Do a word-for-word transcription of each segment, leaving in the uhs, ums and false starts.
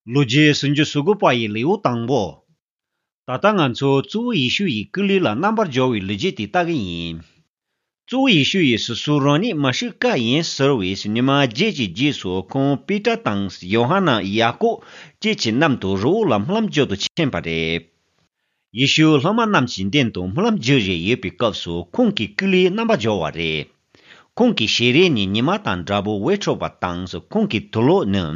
ལོ་རྒྱུས་སུམ་ཅུ་སོ་དགུ་པ་ཡི་ལེའུ་དང་པོ། ད་ལྟ་ང་ཚོ་གཙོ་བོ་ཡེ་ཤུ་ཡི་སྐུ་ལུས་ལ་རྣམ་པར་སྦྱོར་བའི་ལོ་རྒྱུས་དེ་ལྟ་གི་ཡིན། གཙོ་བོ་ཡེ་ཤུ་ཡིས་སོ་སོ་རང་ཉིད་མ་ཤི་ཀ་ཡིན་ཟེར་བའི་ཉི་མ་བརྒྱད་ཀྱི་རྗེས་སུ་ཁོང་པེ་ཏྲ་དང་ཡོ་ཧ་ནན། ཡ་ཀོབ་བཅས་ཀྱི་མཉམ་དུ་རི་བོ་ལ་སྨོན་ལམ་བརྗོད་དུ་ཕྱིན་པ་རེད། ཡེ་ཤུ་སློབ་མ་རྣམས་ཀྱི་མདུན་དུ་སྨོན་ལམ་བརྗོད་བཞིན་ཡོད་པའི་སྐབས་སུ་ཁོང་གི་སྐུ་ལུས་རྣམ་པར་སྦྱོར་བ་རེད། ཁོང་གི་ཞལ་རས་ནི་ཉི་མ་དང་འདྲ་པོ་འོད་འཕྲོ་བ་དང་། ཁོང་གི་དུག་ལོག་ནི་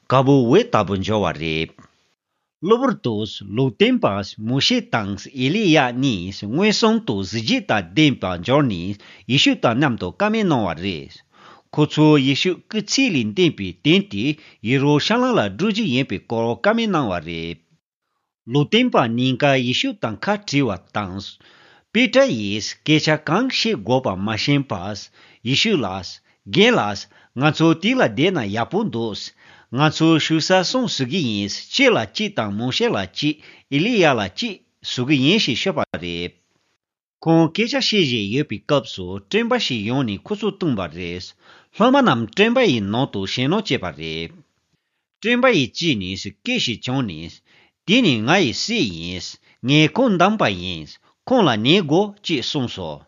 དཀར་པོ་འོད་ལྟ་བུ་འབྱོར་བ་རེད། གློ་བུར་དུ་ལུང་སྟོན་པ་མོ་ཤེ་དང་ཨེ་ལི་ཡ་གཉིས་མངོན་སུམ་དུ་གཟི་བརྗིད་དང་ལྡན་པ་འབྱོར་ནས་ཡེ་ཤུ་དང་མཉམ་དུ་བཀའ་མོལ་གནང་བ་རེད། ཁོ་ཚོས་ཡེ་ཤུ་སྐུ་ཚེ་ལས་འདས་པའི་དོན་དེ་ཡེ་རུ་ཤ་ལམ་ལ་སྒྲུབ་རྒྱུ་ཡིན་པའི་སྐོར་བཀའ་མོལ་གནང་བ་རེད། ལུང་སྟོན་པ་གཉིས་ཀ་ཡེ་ཤུ་དང་ཁ་བྲལ་བ་དང་། པེ་ཏྲ་ཡིས་སྐད་ཆ་གང་བཤད་དགོས་པ་མ་ཤེས་པར། ཡེ་ཤུ་ལ། རྒན་ལགས། ང་ཚོ་དེ་ལ་བསྡད་ན་ཡག་པོ་འདུག་ང་ཚོ་བཞུགས་ས་གསུམ་བཟོ་གི་ཡིན། ཁྱེད་ལ་གཅིག་དང་མོ་ཤེ་ལ་གཅིག་ཨེ་ལི་ཡ་ལ་གཅིག་བཟོ་གི་ཡིན་ཞེས་ཤོད་པ་རེད། ཁོང་སྐད་ཆ་བཤད་བཞིན་ཡོད་པའི་སྐབས་སུ་སྤྲིན་པ་ཞིག་ཡོང་ནས་ཁོ་ཚོ་བཏུམས་པ་རེད། སློབ་མ་རྣམས་སྤྲིན་པ་ཡི་ནང་དུ་ཞེད་སྣང་སྐྱེས་པ་རེད། སྤྲིན་པ་ཡི་དཀྱིལ་ནས་སྐད་ཞིག་བྱུང་ནས། དེ་ནི་ང་ཡི་སྲས་ཡིན། ངས་ཁོང་འདམ་པ་ཡིན། ཁོང་ལ་ཉན་དགོས་ཅེས་གསུངས་སོ།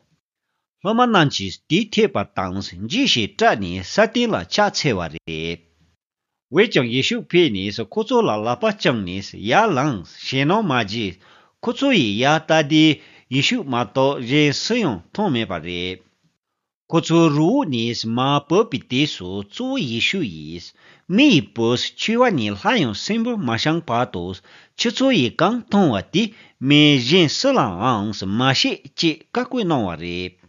སློབ་མ་རྣམས་ཀྱིས་དེ་ཐོས་པ་དང་འཇིགས་ཤིང་སྐྲག་ནས་ས་སྟེང་ལ་ཕྱག་འཚལ་བ་རེད། འོན་ཀྱང་ཡེ་ཤུ་ཕེབས་ནས་ཁོ་ཚོ་ལ་ལག་པ་བརྐྱངས་ནས། ཡར་ལངས། ཞེད་སྣང་མ་བྱེད། ཁོ་ཚོ་ཡིས་ཡར་ལྟ་དུས་ཡེ་ཤུ་མ་གཏོགས་གཞན་སུ་ཡང་མཐོང་མེད་པ་རེད། ཁོ་ཚོ་རི་བོ་ནས་མར་བབས་པའི་དུས་སུ་གཙོ་བོ་ཡེ་ཤུ་ཡིས། མི་ཡི་བུས་འཆི་བ་ནས་སླར་ཡང་གསོན་པོར་མ་བཞེངས་བར་དུ། ཁྱེད་ཚོ་ཡིས་གང་མཐོང་བ་དེ་མི་གཞན་སུ་ལའང་མ་བཤད་ཅེས་བཀའ་བཀོད་གནང་བ་རེད།